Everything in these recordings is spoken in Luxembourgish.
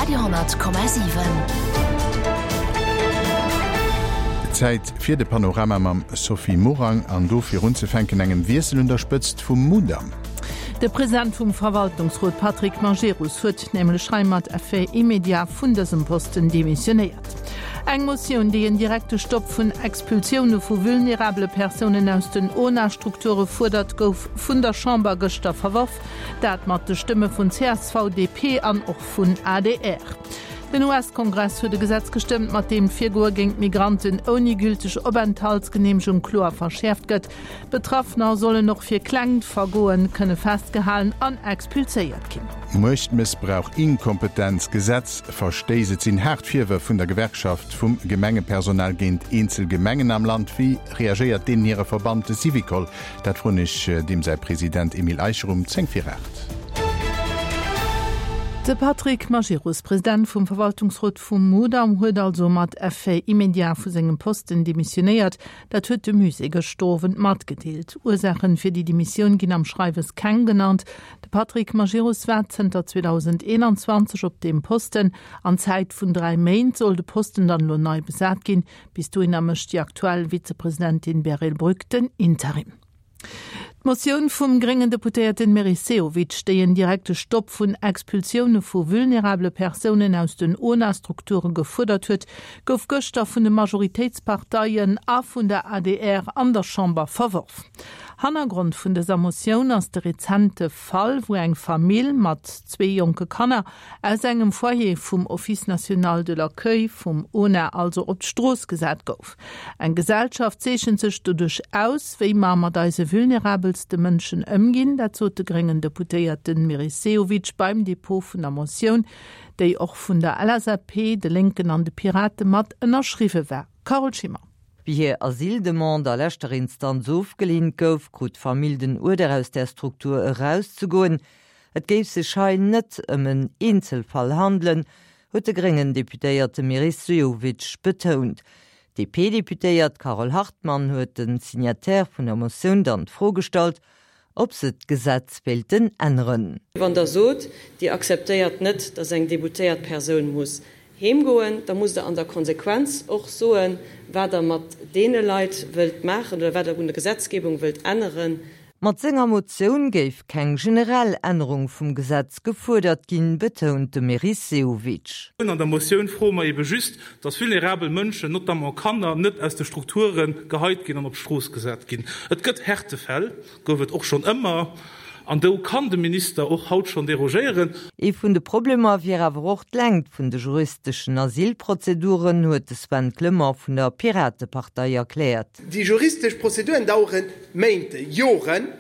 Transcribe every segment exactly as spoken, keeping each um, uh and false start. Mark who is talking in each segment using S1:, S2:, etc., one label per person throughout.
S1: Radio honnert Komma siwen.
S2: Zäit fir de Panorama mam Sophie Morang an do fir unzefänken engem Wiessel un der Spëtzt vum Mudam.
S3: De President vum Verwaltungsrot Patrick Majerus huet nämlech hei mat Effet immédiat vun dësem Posten demissionéiert. Eng Motioun, déi en direkte Stopp vun Expulsioune vu vulnerabele Persounen aus den ONA-Strukture fuerdert, gouf vun der Chamber gëschter verworf. Dat mat de Stëmme vun csv, D P an och vun A D R. Den U S-Kongress huet e Gesetz gestëmmt, mat deem d'Virgoe géint Migranten ouni gülteg Openthaltsgeneemegung kloer verschäerft gëtt. Betraffener sollen och fir klengt Vergoen kënne festgehalen an expulséiert ginn.
S2: Muechtmëssbrauch, Inkompetenz, Gesetzverstéiss, et sinn haart Virwërf vun der Gewerkschaft vum Gemengepersonal géint eenzel Gemengen am Land. Wéi reagéiert deenen hire Verband, de Syvicol? Dat froen ech deem säi President Emile Eicher um zéng vir aacht.
S3: De Patrick Majerus, President vum Verwaltungsrot vum Mudam, huet also mat Effet immédiat vu sengem Posten demissionéiert. Dat huet de Musée gëschter Owend matgedeelt. Ursaachen fir déi Demissioun ginn am Schreiwes keng genannt. De Patrick Majerus war zënter zweedausendeenanzwanzeg op deem Posten. An Zäit vun dräi Méint soll de Posten dann elo nei besat ginn. Bis dohinner mécht déi aktuell Vizepresidentin Beryl Brück den Interim. D'Motioun vum gréngen Deputéierten Meris Sehovic, déi en direkte Stopp vun Expulsioune vu vulnerabele Persounen aus den ONA-Strukture gefuerdert huet, gouf gëschter vun de Majoritéitsparteien a vun der A D R an der Chamber verworf. Hannergrond vun dëser Motioun ass de rezente Fall, wou eng Famill mat zwee jonke Kanner aus engem Foyer vum Office national de l'accueil vum ONA also op d'Strooss gesat gouf. Eng Gesellschaft zeechent sech doduerch aus, wéi mer mat eise vulnerabelste Mënschen ëmginn, dat sot de gréngen Deputéierten Meris Sehovic beim Depot vun der Motioun, déi och vun der L S A P, de Lénken an de Pirate mat ënnerschriwwe war. Carole Schimmer.
S4: Wéi hir Asyldemande a leschter Instanz ofgeleent gouf, krut d'Famill den Uerder aus der Struktur erauszegoen. Et géif sech hei net ëm en Eenzelfall handelen, huet de gréngen Deputéierte Meris Sehovic betount. D P-Deputéiert Carole Hartmann huet de Signataire vun der Motioun dann d'Fro gestallt, ob se d'Gesetz wéilten änneren.
S5: Wann der sot, Dir akzeptéiert net, datt eng deboutéiert Persoun muss heemgoen, da musst Der an der Konsequenz och soen, wat Der mat deene Leit wëllt maachen oder wat Der un der Gesetzgebung wëllt änneren.
S4: Mat senger Motioun géif keng generell Ännerung vum Gesetz gefuerdert ginn, betount de Meris Sehovic.
S6: An der Motioun froe mer ebe just, datt vulnerabel Mënschen, notamment Kanner, net aus de Strukture geheit ginn an op d'Strooss gesat ginn. Et gëtt Härtefäll, gouf et och schonn ëmmer, an do kann de Minister och haut schonn derogéieren.
S4: Ee vun de Problemer wier awer och d'Längt vun de juristeschen Asylprozeduren, huet de Sven Clement vun der Piratepartei erkläert.
S7: Déi juristesch Prozeduren dauere Méint, Joren,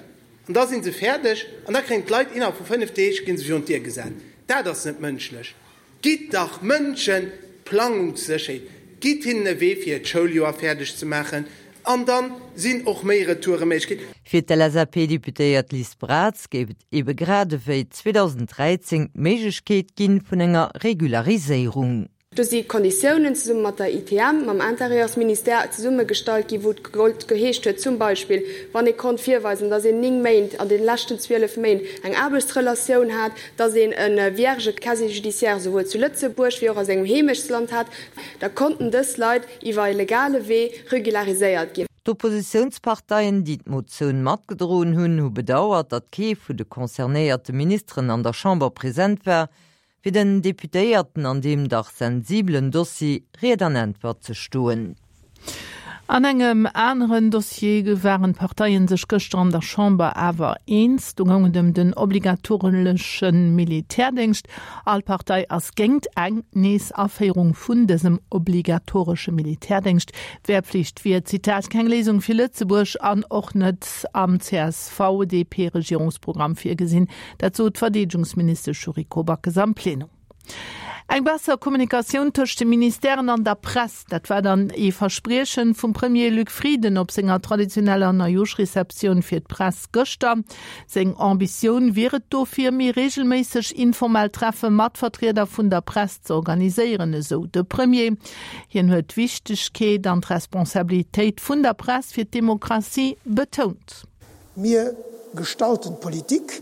S7: an da sinn se fäerdeg an da kréien d'Leit innerhalb vu fënnef Deeg ginn se virun d'Dier gesat. Dat ass net mënschlech. Gitt dach Mënsche Planungssécherheet, gitt hinnen e Wee fir d'Schouljoer fäerdeg ze maachen an dann sinn och méi Retoure méiglech.
S4: Fir d'L S A P-Deputéiert Liz Braz géif et ebe grad ewéi zweedausendräizéng d'Méiglechkeet ginn vun enger Regulariséierung.
S8: Do si Konditiounen zesumme mat der I T M, mam Intérieursministère zesummegestallt ginn, wou et geheescht huet, zum Beispill, wann ee konnt virweisen, datt een néng Méint an de leschten zwielef Méint eng Aarbechtsrelatioun hat, datt een e vierge Casier judiciaire souwuel zu Lëtzebuerg wéi och a sengem Heemechtsland hat, da konnten dës Leit iwwer e legale Wee regulariséiert ginn.
S4: D'Oppositiounsparteien, déi d'Motioun matgedroen hunn, hu bedauert, datt kee vun de concernéierte Ministeren an der Chamber present war, fir den Deputéierten an deem dach sensibelen Dossier Ried an Äntwert ze stoen.
S3: An engem aneren Dossier waren d'Parteien sech gëschter an der Chamber awer eens, do goung et ëm den obligatoresche Militärdéngscht. All Partei ass géint eng Neesaféierung vun dësem obligatoresche Militärdéngscht. D'Wehrpflicht wier, Zitat, keng Léisung fir Lëtzebuerg an och net am C S V D P-Regierungsprogramm virgesinn. Dat sot d'Verdeedegungsministesch Yuriko Backes am Plenum. Eng besser Kommunikatioun tëscht de Ministèren an der Press, dat war dann ee Versprieche vum Premier Luc Frieden op senger traditioneller Neijooschreceptioun fir d'Press gëschter. Seng Ambitioun wier et dofir, méi reegelméisseg informell Treffe mat Vertrieder vun der Press ze organiséieren, esou de Premier. Hien huet d'Wichtegkeet an d'Responsabilitéit vun der Press fir d'Demokratie betount.
S9: Mir gestalten d'Politik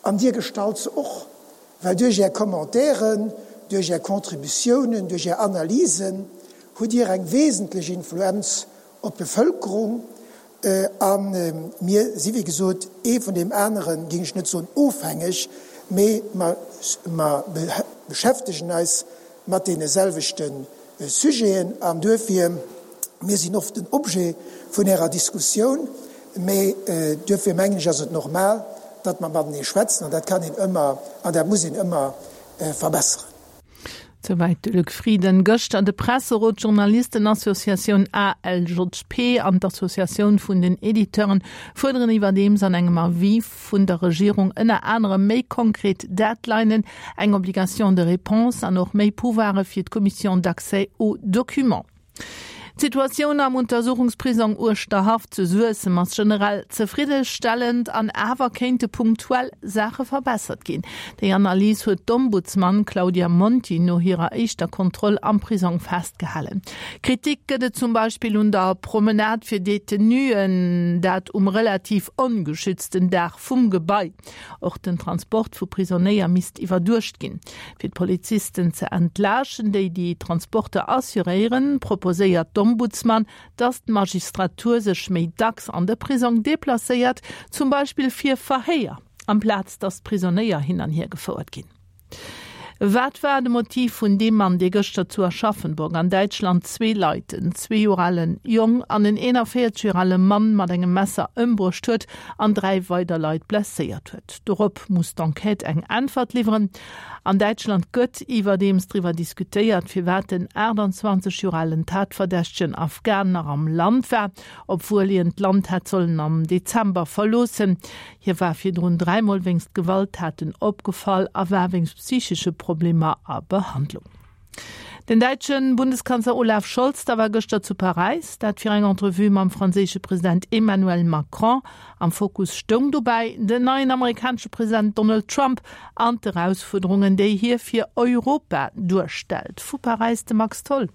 S9: an dir gestalt se och, well duerch är Commentairen,
S1: duerch Är Contributiounen, duerch Är Analysen hutt Dir eng wesentlech Influenz op d'Bevëlkerung. A mir si wéi gesot ee vun deem aneren, géing ech net soen ofhängeg, mee mer beschäftegen eis mat deene selwechte Sujeten an duerfir, mir sinn oft den Objet vun Ärer Diskussioun, mee duerfir mengen ech ass et normal, datt mer matenee schwätzen an dat kann een ëmmer an dat muss een ëmmer verbesseren.
S3: Souwäit de Luc Frieden gëschter. De Presserot, d'Journalistenassociatioun ALJP an d'Associatioun vun den Editeuren fuerderen iwwerdeems an engem Avis vun der Regierung ënner anerem méi konkret Deadlinen, eng Obligation de réponse an och méi Pouvoire fir d'Commission d'accès aux documents. D'Situatioun am Untersuchungsprisong Uerschterhaff zu Suessem ass generell zefriddestellend an awer kéinte punktuell Saache verbessert ginn. Déi Analys huet d'Ombudsman Claudia Monti no hirer éischter Kontroll am Prisong festgehalen. Kritik gëtt et zum Beispill un der Promenade fir Detenuen, dat um relativ ongeschützten Daach vum Gebai. Och den Transport vu Prisonéier misst iwwerduecht ginn. Fir d'Polizisten ze entlaaschten, déi déi Transporter assuréieren, proposéiert d'Ombudsman, datt d'Magistratur sech méi dacks an de Prisong deplacéiert, zum Beispill fir Verhéier, amplaz datt d'Prisonéier hin an hier gefouert ginn. Wat war de Motiv vun deem Mann, dee gëschter zu Aschaffenburg an Däitschland zwee Leit, en zwee Joer alen Jong an en eenanvéierzeg Joer ale Mann, mat engem Messer ëmbruecht huet an dräi weider Leit blesséiert huet? Dorop muss d'Enquête eng Äntwert liwweren. An Däitschland gëtt iwwerdeems driwwer diskutéiert, firwat den aachtanzwanzeg Joer alen Tatverdächtegen Afghan nach am Land war, obwuel hien d'Land hätt sollen am Dezember verloossen. Hie war virdrun dräimol wéinst Gewalttaten opgefall a war wéinst psychesche Problemer a Behandlung. Den däitsche Bundeskanzler Olaf Scholz da war gëschter zu Paräis, dat fir eng Entrevue mam franséische President Emmanuel Macron. Am Fokus stoung dobäi den neien amerikanesche President Donald Trump an d'Erausfuerderungen, déi hie fir Europa duerstellt. Vu Paräis de Max Tholl.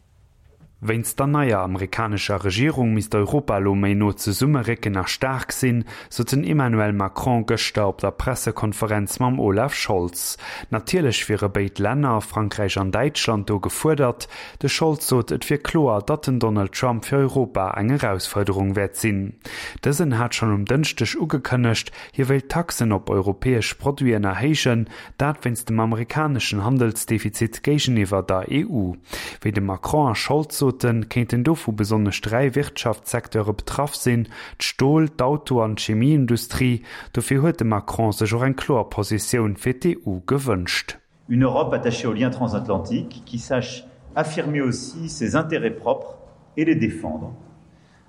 S9: Wéinst der neier amerikanescher Regierung misst Europa elo méi no zesummerécken a staark sinn, sot den Emmanuel Macron gëschter op der Pressekonferenz mam Olaf Scholz. Natierlech wiere béid Länner, Frankräich an Däitschland, do gefuerdert. De Scholz sot, et wier kloer, datt den Donald Trump fir Europa eng Erausfuerderung wäert sinn. Dësen hat schonn um Dënschdeg ugekënnegt, hie wéilt d'Taxen op europäesch Produiten erhéijen, dat wéinst dem amerikaneschen Handelsdefizit géigeniwwer der E U. Wéi de Macron a Scholz soten, kéinten dovu besonnesch dräi Wirtschaftssecteure betraff sinn, d'Stol-, d'Auto an d'Chemieindustrie. Dofir huet de Macron sech och eng kloer Positioun fir d'E U gewënscht.
S10: Une Europe attachée aux liens transatlantiques, qui sache affirmer aussi ses intérêts propres et les défendre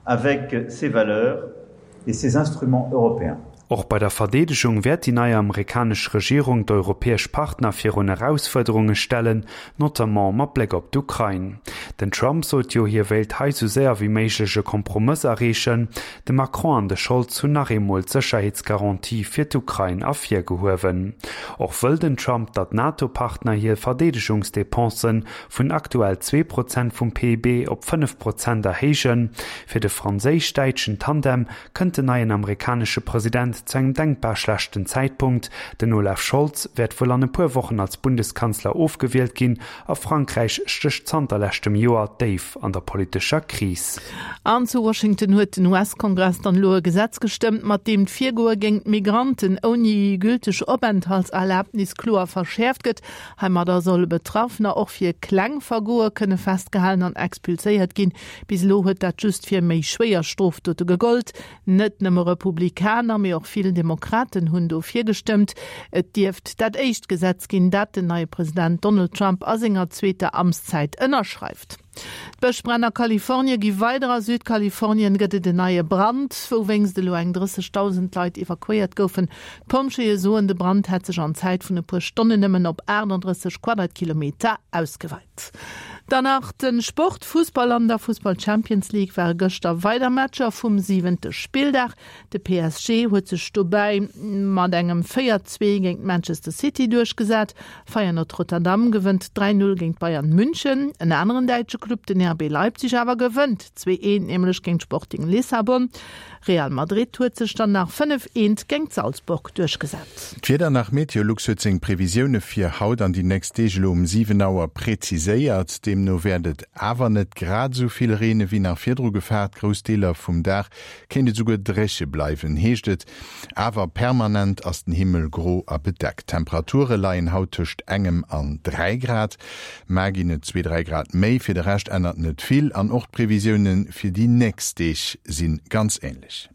S10: avec ses valeurs et ses instruments européens.
S9: Och bei der Verdeedegung wäert déi nei amerikanesch Regierung d'europäesch Partner virun Erausfuerderunge stellen, notamment mat Bléck op d'Ukrain. Den Trump sot jo, hie wéilt hei sou séier wéi méiglech e Kompromëss erreechen. De Macron an de Scholz hunn nach eemol d'Sécherheetsgarantië fir d'Ukrain ervirgehuewen. Och wëll den Trump, datt d'NATO-Partner hir Verdeedegungsdepensen vun aktuell zwee Prozent vum P I B op fënnef Prozent erhéijen. Fir de franséisch-däitschen Tandem kënnt den neien amerikanesche President zu engem denkbar schlechten Zäitpunkt, Den Olaf Scholz wäert wuel an e puer Wochen als Bundeskanzler ofgewielt ginn a Frankräich stécht zanter leschtem Joer déif an der politescher Kris.
S3: An zu Washington huet den U S-Kongress dann elo e Gesetz gestëmmt, mat deem d'Virgoe géint Migranten ouni gülteg Openthaltserlabnis kloer verschäerft gëtt. Heimadder solle Betraffener och fir kleng Vergoe kënne festgehalen an expulséiert ginn. Bis elo huet dat just fir méi schwéier Strofdote gegollt. Net nëmme Republikaner, mee och vill Demokraten hunn dofir gestëmmt. Et dierft dat éischt Gesetz ginn, dat den neie President Donald Trump a senger zweeter Amtszäit ënnerschreift. D'Bëschbränn a Kalifornie gi weider. A Südkalifornien gëtt et en neie Brand, wouwéinst elo eng drëssegdausend Leit evakuéiert goufen. D'Pompjeeë soen, de Brand hätt sech an Zäit vun e puer Stonnen nëmmen op aachtanddrësseg Quadratkilometer ausgeweit. Dann nach den Sport Fußball an der Fußball Champions League ware gëschter weider Matcher vum siwente Spilldag. De P S G huet sech dobäi mat engem véier zwee géint Manchester City duerchgesat. Feyenoord Rotterdam gewënnt dräi null géint Bayern München. En aneren däitsche Club, den R B Leipzig awer gewënnt zwee eent nämlech géint Sporting Lissabon. Real Madrid huet sech dann nach fënnef eent géint Salzburg duerchgesat.
S2: D'Wieder nach, Meteolux huet seng Previsioune fir haut an déi nächst Deeg elo um siwen Auer präziséiert. Deemno wäert et awer net grad esou vill reene wéi nach virdru gefaart. Grouss Deeler vum Dag kéint et esouguer dréche bleiwen, heescht et. Awer permanent ass den Himmel gro a bedeckt. D'Temperature leien haut tëscht engem an dräi Grad. Mar ginn et zwee, dräi Grad méi. Fir de Rescht ännert net vill an och d'Previsioune fir déi nächst Deeg si ganz änlech.